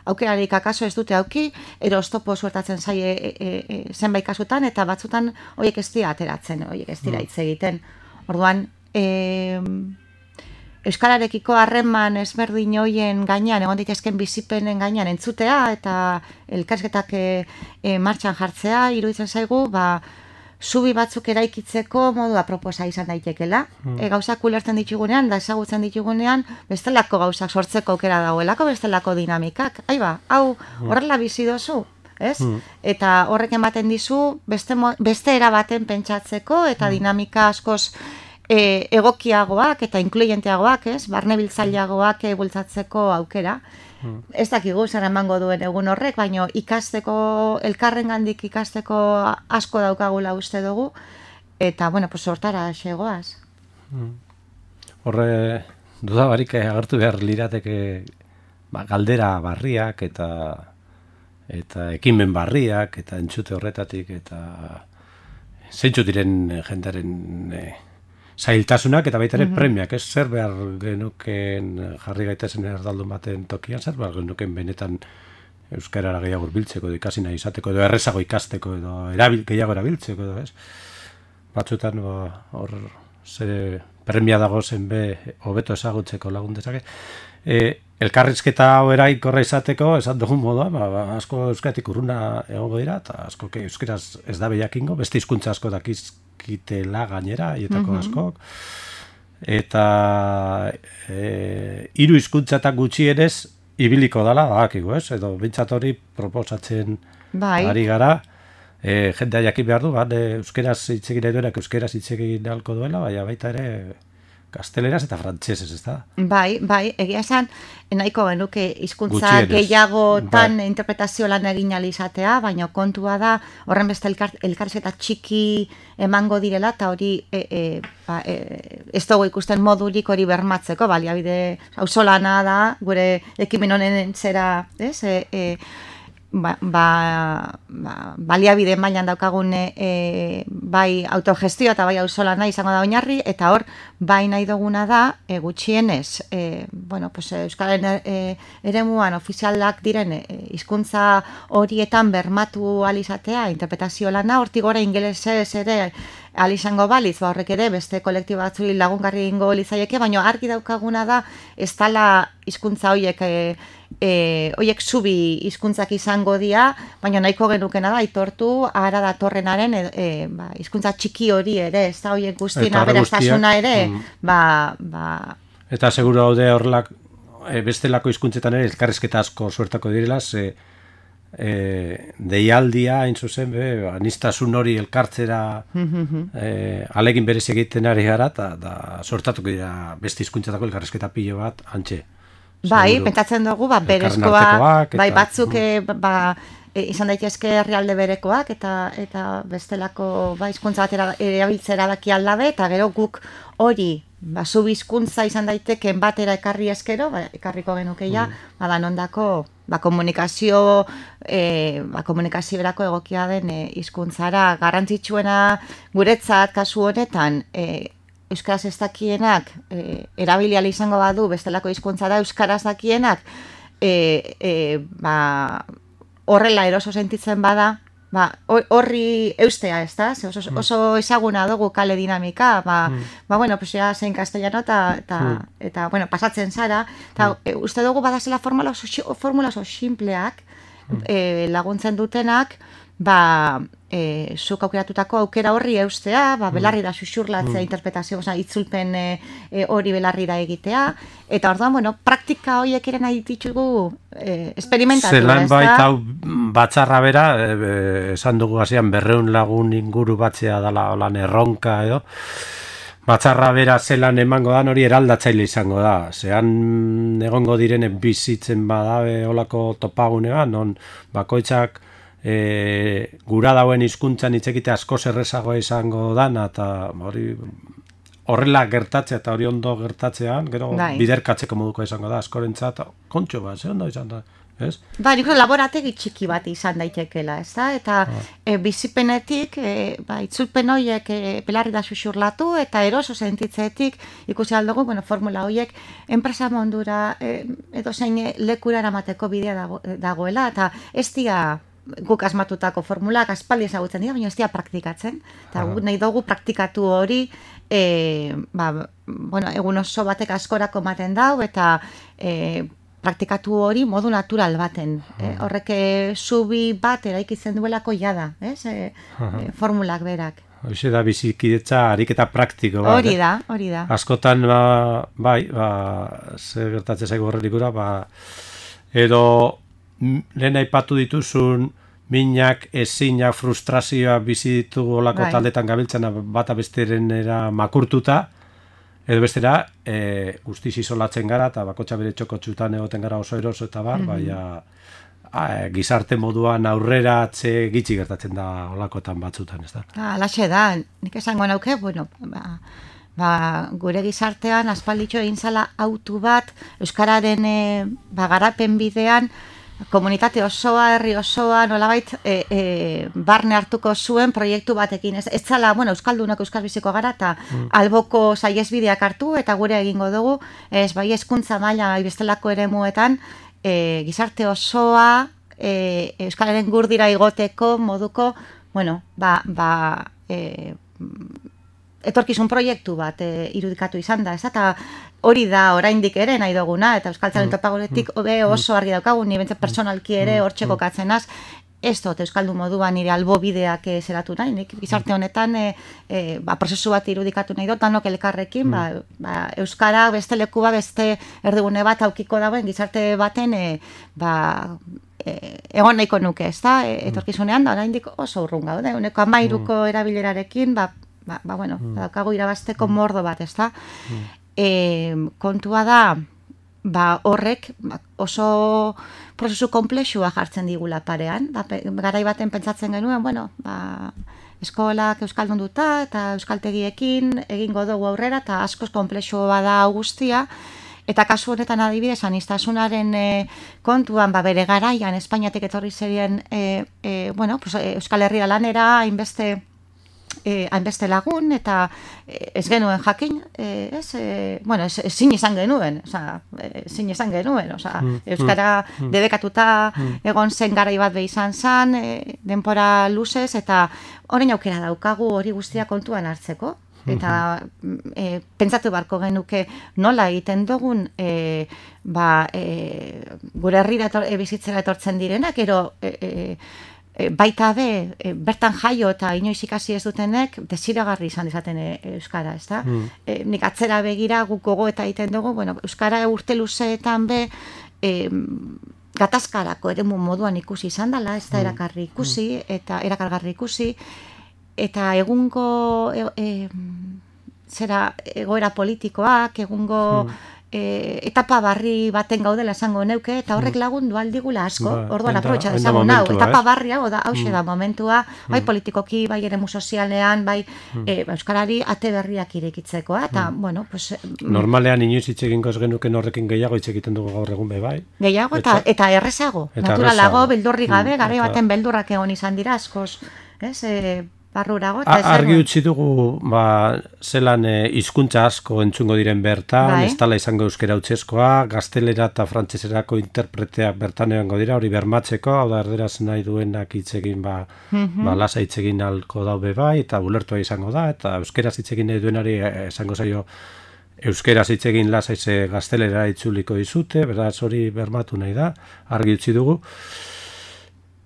aukerarik akaso ez dute auki, ero oztopo suertatzen zaie zenbait kasutan, eta batzutan horiek ez dira ateratzen, horiek ez dira hitz egiten. Orduan, euskararekiko harreman ezberdin hoien gainean, egon daitezken bizipenen gainean entzutea, eta elkarrizketak martxan jartzea, iruditzen zaigu, zubi batzuk eraikitzeko modu aproposa izan daitekela. Gauzak ulertzen ditugunean, da ezagutzen ditugunean, bestelako gauzak sortzeko aukera dagoelako, bestelako dinamikak. Hau horrela bizi dozu, ez? Eta horrek ematen dizu, beste era baten pentsatzeko, eta dinamika askoz egokiagoak eta inkluyenteagoak, ez? Barnebiltzaileagoak bultzatzeko aukera. Ez dakigu zer emango duen egun horrek, baina ikasteko, elkarrengandik ikasteko asko daukagula uste dugu, eta, bueno, pues hortara xegoaz. Horre, dudabarik agertu behar lirateke galdera barriak eta ekimen barriak eta entzute horretatik eta zeintzu diren jendaren zailtasunak eta baita ere premiak, ez zer behar genuken jarri gaitezen erdaldun baten tokian, zer behar genuken benetan euskarara gehiago biltzeko, ikasi nahi izateko, edo errezago ikasteko, edo gehiago erabiltzeko, edo ez? Batzutan hor premia dago zen hobeto ezagutzeko lagun dezake. Elkarrizketa hau erainkorra izateko, esan dugun moduan, asko euskaratik urruna egongo dira, eta asko euskaraz ez da behiakingo, beste hizkuntza asko dakizkitela gainera, hietako askok. Eta 3 hizkuntzatak gutxienez ibiliko dala, badakigu, ez? Edo bintzat hori proposatzen ari gara. Jendea jakin behar du, euskeraz hitz egin nahi duenak euskeraz hitz egin ahalko duela, baita ere gazteleraz eta frantsesez, ez da? Bai, egia esan, nahiko genuke hizkuntza gehiagotan interpretazio lan egin izatea, baina kontua da, horren beste elkarrizketa txiki emango direla, eta hori ez dugu ikusten modurik hori bermatzeko, baliabide auzolana da, gure ekimen honen zera, ez? Baliabide mailan daukagun bai autogestio eta bai auzolana izango da oinarri, eta hor bai nahi duguna da gutxienez Euskararen eremuan ofizialak diren hizkuntza horietan bermatu ahal izatea interpretazio lana, hortik gora ingelesez ere ahal izango balitz, horrek ere beste kolektibo batzuri lagungarri egingo litzaieke, baina argi daukaguna da ez dela hizkuntza horiek zubi hizkuntzak izango dira, baina nahiko genukena da aitortu ara datorrenaren hizkuntza txiki hori ere, ez da horiek guztien aberastasuna ere, Eta seguro haude horrelak bestelako hizkuntzetan ere elkarrizketa asko suertako direla, deialdia, hain zuzen, aniztasun hori elkartzera alegin berez egiten ari gara, eta sortatuko dira beste hizkuntzetako elkarrizketa pilo bat, antxe. Bai, pentsatzen dugu, berezkoa, bai, batzuk, izan daitezke herrialde berekoak, eta bestelako hizkuntza bat erabiltzera daki aldabe, eta gero guk hori, zubi hizkuntza izan daiteken batera ekarri eskero, ekarriko genukeia, danondako komunikazio berako egokia den hizkuntzara garrantzitsuena guretzat kasu honetan, euskaraz ez dakienak erabili ahal izango badu bestelako hizkuntza da euskaraz dakienak horrela eroso sentitzen bada, horri eustea, ez da? Oso ezaguna dugu kale dinamika, zein castellano eta pasatzen zara, eta uste dugu badazela formula oso simpleak laguntzen dutenak, zuk aukeratutako aukera horri eustea, belarri da xuxurlatzea interpretazio, itzulpen hori belarri da egitea, eta orduan, praktika horiek ere nahi ditugu esperimentatu, ez da? Zelan baita batzarra bera, esan dugu hasian 200 lagun inguru batzea dela holan erronka edo, batzarra bera zelan emango da, hori eraldatzaile izango da. Zean egongo direnen bizitzen badabe holako topagunean, non bakoitzak gura dauen hizkuntzan hitz egite asko errezagoa izango dana, eta horrela gertatzea eta hori ondo gertatzean, gero biderkatzeko moduko izango da, askorentzat kontxo bat, ze ondo izan da, ez? Nik laborategi txiki bat izan daitekela, ez da? Eta bizipenetik, itzulpen horiek belarri da xuxurlatu, eta eroso sentitzetik ikusi aldugu, formula horiek enpresa mondura edo zein lekura eramateko bidea dagoela, eta ez dira guk asmatutako formulak aspaldi ezagutzen dira, baina ez dira praktikatzen. Eta guk nahi dugu praktikatu hori, egun oso batek askorako ematen dau, eta praktikatu hori modu natural baten. Horrek zubi bat eraikitzen duelako jada, formulak berak. Hoxe da bizikidetza ariketa praktiko bat. Hori da. Askotan, ze gertatzen zaigu horrelikura, edo lehen aipatu dituzun minak, ezinak, frustrazioa bizi ditugu olako taldetan gabiltzena bata besterenera makurtuta, edo bestera guztiz isolatzen gara, eta bakotxa bere txokotxutan egoten gara oso eroso eta gizarte moduan aurrera atze gitxi gertatzen da olakotan batzutan, ez da? Alaxe da, nik esango nauke, gure gizartean aspalditxo egin zala autu bat, euskararen garapen bidean, komunitate osoa, herri osoa, nolabait barne hartuko zuen proiektu batekin. Ez zala, euskaldunok euskaldbiziko gara, eta alboko saiesbideak hartu, eta gure egingo dugu, hezkuntza maila bestelako eremuetan, gizarte osoa, euskararen gurdira igoteko moduko, etorkizun proiektu bat irudikatu izan da, ez? Eta hori da oraindik ere nahi duguna, eta Euskaltzaren topagoretik oso argi daukagu, ni bentsat personalki ere hortxe kokatzenaz, ez dut Euskaldun moduan nire albobideak zeratu nahi, nik gizarte honetan prozesu bat irudikatu nahi dut, danok elkarrekin, Euskara beste leku bat, beste erdigune bat aukiko dagoen gizarte baten egon nahiko nuke, ez da, etorkizunean da, oraindik oso urrun gaude, uneko 13ko erabilerarekin, bueno, daukagu irabazteko mordo bat, ez da. Kontua da, horrek oso prozesu komplexua jartzen digula parean, garai baten pentsatzen genuen, bueno, eskolak euskaldun duta eta euskaltegiekin egingo dugu aurrera, eta askoz komplexua da guztia, eta kasu honetan adibidez, aniztasunaren kontuan, bere garaian, Espainiatik etorri zerien, Euskal Herria lanera, hainbeste lagun, eta ez genuen jakin, ezin izan genuen, Euskara debekatuta egon zen garai bat izan zen, denbora luzez, eta orain aukera daukagu hori guztia kontuan hartzeko, eta pentsatu beharko genuke nola egiten dugun gure herrira bizitzera etortzen direnak, ero baita bertan jaio eta inoiz ikasi ez dutenek desiragarri izan dezaten euskara, ez da? Nik atzera begira guk gogoeta egiten dugu, euskara urte luzeetan gatazkarako eremu moduan ikusi izan dela, ez da erakargarri ikusi, eta egungo egoera politikoak, egungo etapa barri baten gaudela esango neuke, eta horrek lagundu aldigula asko, orduan aprobetxa dezagun hau, etapa barria, hause da momentua, bai politikoki, bai eremu sozialean, bai euskarari ate berriak irekitzeko, eta, bueno, pues... Normalean inoiz hitz egingo ez genuken horrekin gehiago hitz egiten dugu gaur egun bai? Gehiago, eta errezago, naturalago, beldurri gabe, garai baten beldurrak egon izan dira askoz, ez, barrurago. Argi utzi dugu, zelan hizkuntza asko entzungo diren bertan, ez dala izango euskera utzezkoa, gaztelera eta frantseserako interpreteak bertan egongo dira, hori bermatzeko, hau da erderaz nahi duenak hitz egin, lasa hitz egin alko daube bai, eta ulertua izango da, eta euskeraz hitz egin nahi duenari esango zaio euskeraz hitz egin lasa gaztelera itzuliko dizute, beraz hori bermatu nahi da, argi utzi dugu.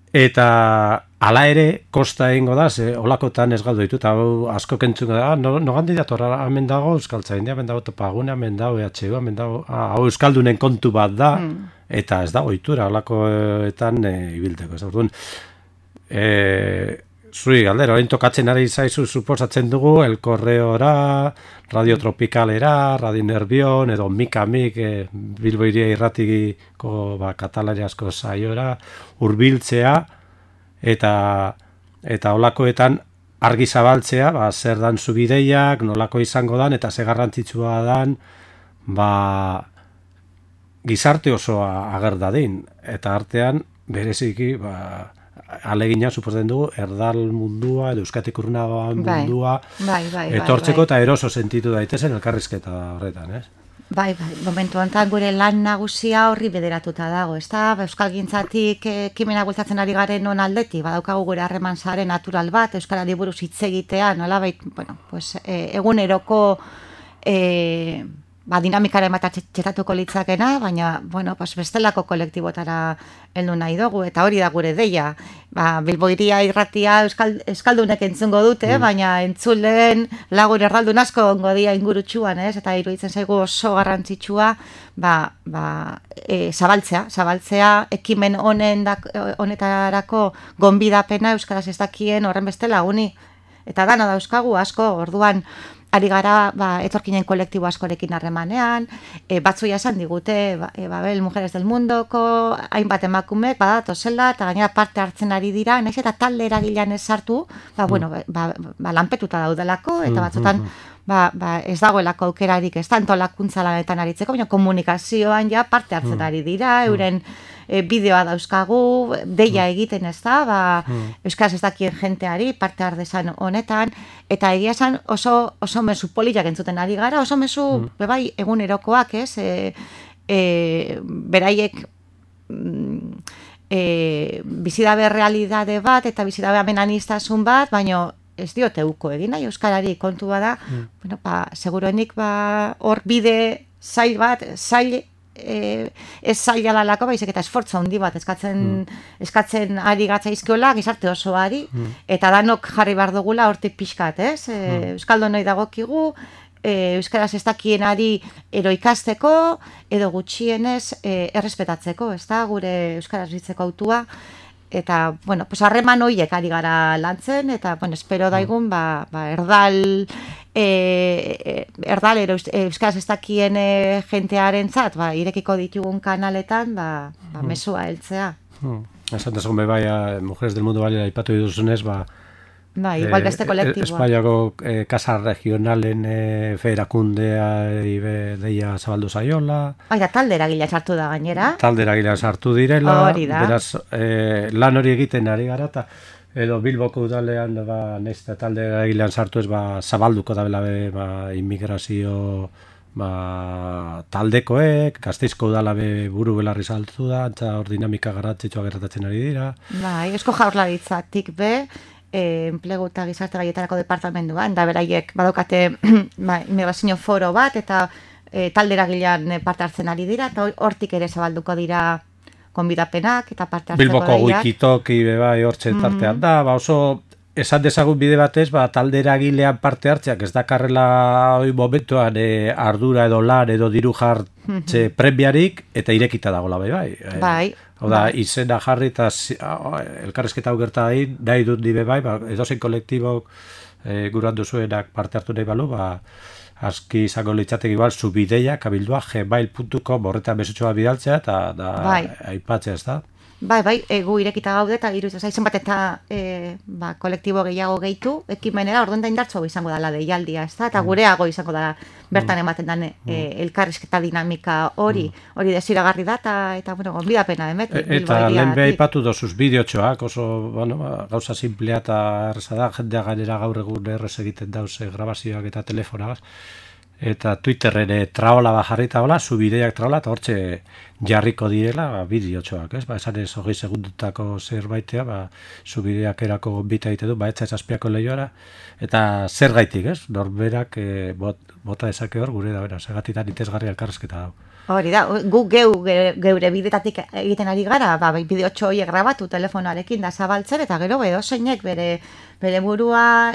Eta hala ere, kosta egingo da, olakotan ez galdu ditu, eta asko kentzungo da, nogandi datorra, hemen dago Euskaltzaindia, hemen dago Topagune, hemen dago EHU, hemen dago, hau Euskaldunen kontu bat da, eta ez dago ohitura, olakoetan ibilteko, ez da, orduan, zuri galdera, orain tokatzen ari zaizu suposatzen dugu, El Correora, Radio Tropicalera, Radio Nervion, edo Mika-Mik, Bilbo Hiria Irratiko katalariazko saiora, hurbiltzea, eta olakoetan argi zabaltzea, zer dan zubideiak, nolako izango dan, eta ze garrantzitsua dan, gizarte osoa ager dadin, eta artean, bereziki, alegina suposatzen dugu, erdal mundua, edo euskatik urruna mundua, etortzeko eta eroso sentitu daitezen elkarrizketa horretan, ez? Bai, momentu honetan gure lan nagusia horri bederatuta dago, ez da? Euskalgintzatik ekimena bultzatzen ari garen non aldetik, badaukagu gure harreman sare natural bat, euskarari buruz hitz egitea, nolabait, eguneroko dinamikaren bat txetatuko litzakena, baina, bestelako kolektibotara heldu nahi dugu, eta hori da gure deia. Bilbo Hiria Irratia euskaldunek entzungo dute, baina entzulen lagun erraldun asko ongo dia ingurutsuan, eta iruditzen zaigu oso garrantzitsua, zabaltzea, ekimen honetarako gonbidapena euskaraz ez dakien horren beste laguni. Eta dana dauzkagu asko, orduan, ari gara, etorkinen kolektibo askorekin harremanean, batzuia esan digute, Babel Mujeres del Mundoko, hainbat emakumek, badatozela, eta gainera parte hartzen ari dira, nahiz eta talde eragilean ez sartu, lanpetuta daudelako, eta batzutan, ez dagoelako aukerarik, ez tanto lakuntza lanetan aritzeko, baina komunikazioan ja parte hartzen ari dira, euren bideoa dauzkagu, deia egiten ez da, euskaraz ez dakien jenteari, parte ardezan honetan, eta egia esan oso mezu poliak entzuten ari gara, oso mezu egunerokoak, ez? Beraiek bizidabe realidade bat, eta bizidabe amenaniztasun bat, baina ez diote uko egin nahi euskarari, kontua da, bueno, seguruenik hor bide zail bat, ez zaila dalako, baizik eta esfortza handi bat eskatzen ari gatzaizkiola gizarte osoari, eta danok jarri behar dugula hortik pixkat, ez? Euskaldunoi dagokigu, euskaraz ez dakienari edo ikasteko, edo gutxienez errespetatzeko, ez da, gure euskaraz bitzeko autua, eta, bueno, pues harreman horiek ari gara lantzen, eta, bueno, espero daigun, erdal euskaraz ez dakien jentearentzat, irekiko ditugun kanaletan, mesua heltzea. Esan desun bai, Mujeres del Mundo Balea aipatu dituzunez, igual beste kolektiboa. Espainiako Kasa Regionalen federakundea deia zabaldu zaiola. Talde eragilea sartu da gainera. Talde eragilea sartu direla. Hori da. Beraz, lan hori egiten ari gara, eta edo Bilboko udalean, nahizta talde eragilean sartu ez, zabalduko da bela immigrazio taldekoek, Gasteizko udala buru belarri saltu da, antza hor dinamika garrantzitsua gertatzen ari dira. Eusko Jaurlaritzatik enplegu eta gizarte gaietarako departamentuan, da beraiek badaukate migrazio foro bat, eta talde eragilean parte hartzen ari dira, eta hortik ere zabalduko dira konbidapenak eta parte hartzeko Bilboko wikitoki hortxe tartean da, oso esan dezagun bide batez, talde eragilean parte hartzeak ez dakarrela momentuan ardura edo lan edo diru jartze premiarik, eta irekita dagoela bai. Hau da, izena jarri eta elkarrizketa hau gerta nahi dut dibe bai, edozein kolektibok guran duzuenak parte hartu nahi balu, aski izango litzatek igual zubideiak abildua gmail.com horretan mesutxoa bidaltzea eta aipatzea, ez da? Gu irekita gaude eta iruditzen zaizen bat eta kolektibo gehiago gehitu, ekimenera orduan da indartxo izango dela deialdia, ez da? Eta gureago izango dela bertan ematen den elkarrizketa dinamika hori desiragarri da eta gonbidapena emet. Eta lehen beha ipatu dozuz bideotxoak, oso gauza simplea eta erreza da, jendea gainera gaur egun errez egiten dauze grabazioak eta telefonagaz. Eta Twitterren traola jarrita hola, zubideiak traola, eta hortxe jarriko direla bideotxoak, ez? Esan ez 20 segundutako zerbaitea, zubideiak erako bita egite du, etza ezazpiako lehioara, eta zer gaitik, ez? Norberak bota ezake hor, gure da, segatitan itezgarri elkarrezketa dau. Hori da, gu geure bidetatik egiten ari gara, bideotxo horiek grabatu telefonoarekin da zabaltzen, eta gero edozeinek bere burua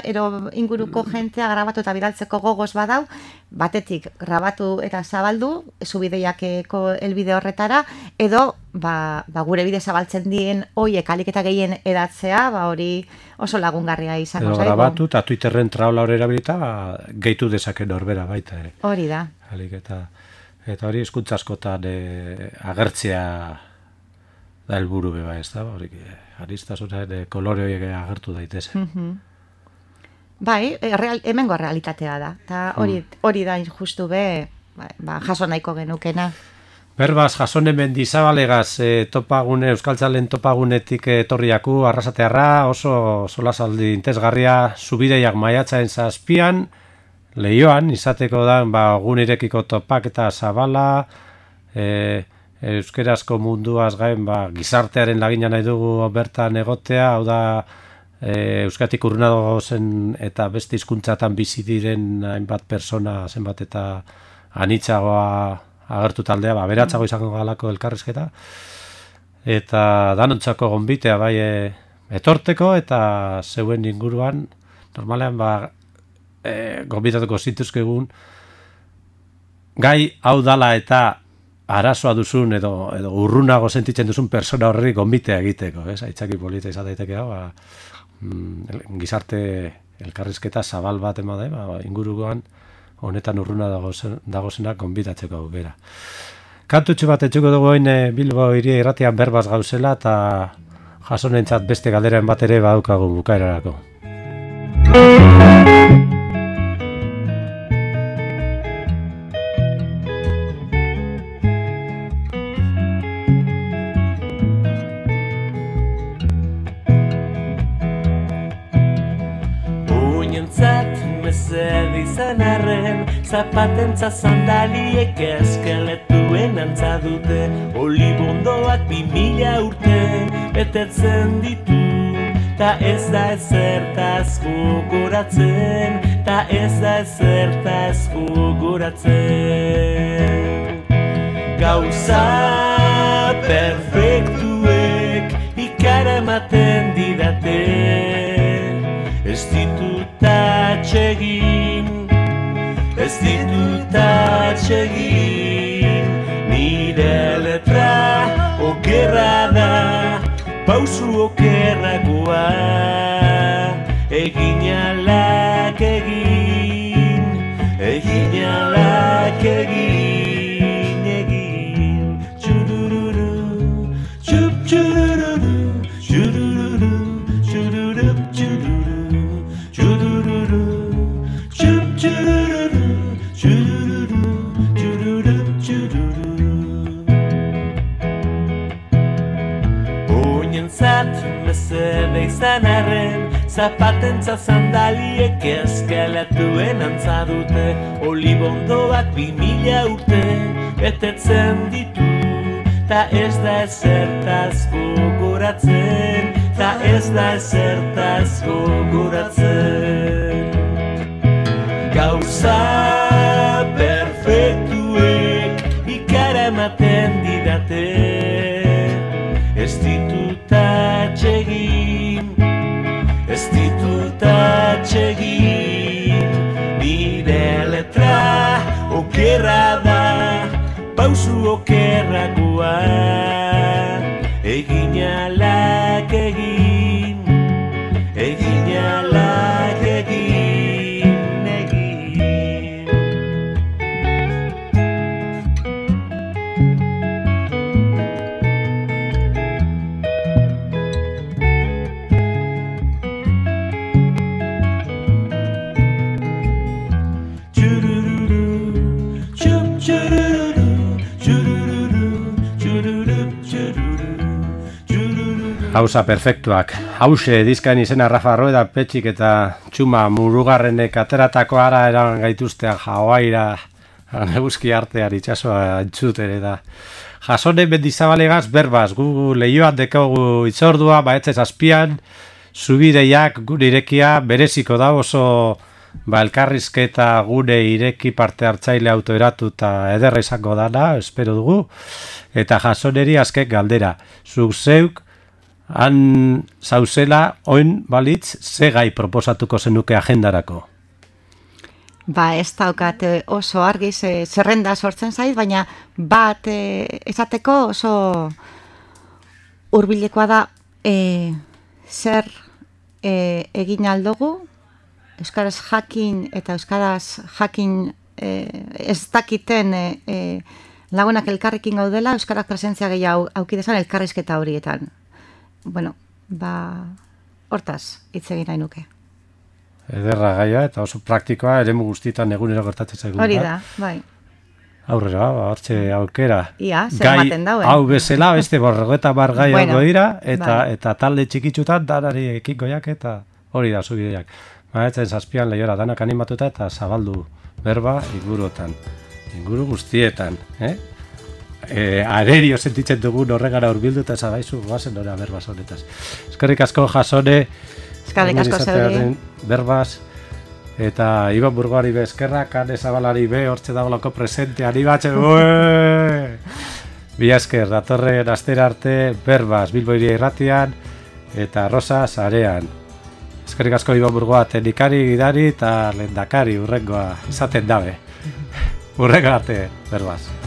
inguruko jentea grabatu eta bidaltzeko gogoz badau, batetik grabatu eta zabaldu, zubideiakeko elbide horretara, edo gure bide zabaltzen dien horiek alik eta gehien edatzea, hori oso lagungarria izango zaigu. Edo grabatu eta Twitterren traola hori erabilita, gehitu dezaken norbera baita ere. Hori da. Eta hori hizkuntza askotan agertzea da helburu beba, ez da? Hori aristasunen kolore horiek agertu daitezen. Hemengo realitatea da. Eta hori da justu jaso nahiko genukena. Berbaz, Jasone Mendizabalegaz topagune, Euskaltzalen topagunetik etorriaku, arrasatearra, oso solasaldi intezgarria, zubideiak maiatzaen zazpian, Leioan, izateko da, gunirekiko topak eta zabala, euskerazko munduaz gain, gizartearen lagina nahi dugu bertan egotea, hau da, euskatik urruna zen eta beste hizkuntzatan bizi diren hainbat persona zenbat eta anitzagoa agertu taldea, beratzago izango galako elkarrizketa, eta danontzako gonbitea etorteko, eta zeuen inguruan, normalean, gonbitatuko zituzkegun gai hau dala eta arazoa duzun edo urrunago sentitzen duzun persona horri gonbitea egiteko, ez? Aitzaki polita izan daiteke hau, gizarte elkarrizketa zabal bat ema da, inguruan honetan urruna dagozenak gonbitatzeko aukera. Kantutxu bat etxuko dugu Bilbo hiria irratian berbaz gauzela eta jasonentzat beste galderen bat ere badaukagu bukaerarako. Zapatentza sandaliek eskeletuen antza dute, olibondoak 2000 urte betetzen ditu, ta ez da ezertaz gogoratzen, ta ez da ezertaz gogoratzen. Gauza perfektuek ikara ematen didate, ez ditut atsegin, ez ditut atsegin, nire letra okerra da, pausu okerragoa, egin alak egin, egin alak egin, egin. Txurururu, txup txurururu, txurururu, txururup txururu, txurururu, txup txurururu, txurururu, txururup txururu. Oinentzat mesede izan arren, zapatentza sandaliek eskeletuen antza dute, olibondoak 2000 urte betetzen ditu, ta ez da ezertaz gogoratzen, ta ez da ezertaz gogoratzen. Gauza perfektuek ikara ematen didate, ez ditut atsegin, ez ditut atsegin, nire letra okerra da, pausu okerragoa, egin alak egin, egin alak egin, egin. Gauza perfektuak. Hause dizkaen izena Rafa Rueda Petxik eta Txuma Murugarrenek ateratako ara eran gaituztea Hawaira eguzki artean itxasoa entzuten eta Jasone Mendizabalegaz berbaz, gu lehioan dekogu itzordua, baetzez azpian, zubideiak gure irekia bereziko da oso elkarrizketa gure ireki parte hartzaile autoeratu eta ederra izango dana, espero dugu, eta Jasoneri azken galdera, zuk zeuk han zauzela, oin balitz, ze gai proposatuko zenuke agendarako? Ba, ez daukat oso argi zerrenda sortzen zait, baina bat esateko oso hurbilekoa da zer egin aldugu, euskaraz jakin eta euskaraz jakin ez dakiten lagunak elkarrekin gaudela, euskaraz presentzia gehiago aukidezan elkarrizketa horietan. Bueno, ba, hortaz, hitz egin nahi nuke. Ederra gaia eta oso praktikoa, eremu guztietan egunero gertatzen zaigu. Hori da, bai. Aurrera, hortxe aukera. Ia, zer ematen dauen. Hau bezala, beste borrogeta bar gai Bueno, dira, eta, bai. eta talde txikitsutan danari ekingoiak eta hori da zubideak. Maetzen zazpian lehiora danak animatuta eta zabaldu berba inguruotan. Inguru guztietan, arerio sentitzen dugun horregara urbildu eta zabaizu goazen ora berbaz honetaz. Eskerrik asko Jasone, Eskerrik asko zeuri. berbaz, eta Iban Burgoari be eskerrak, Ane Zabalari be, hortxe dagoelako presente, animatxe, Bila esker, datorren astera arte, berbaz, Bilbo Hiria Irratian, eta Rosa Sarean. Eskerrik asko Iban Burgoa, teknikari, gidari eta lehendakari urrengoa izaten dabe. Urrengo arte, berbaz.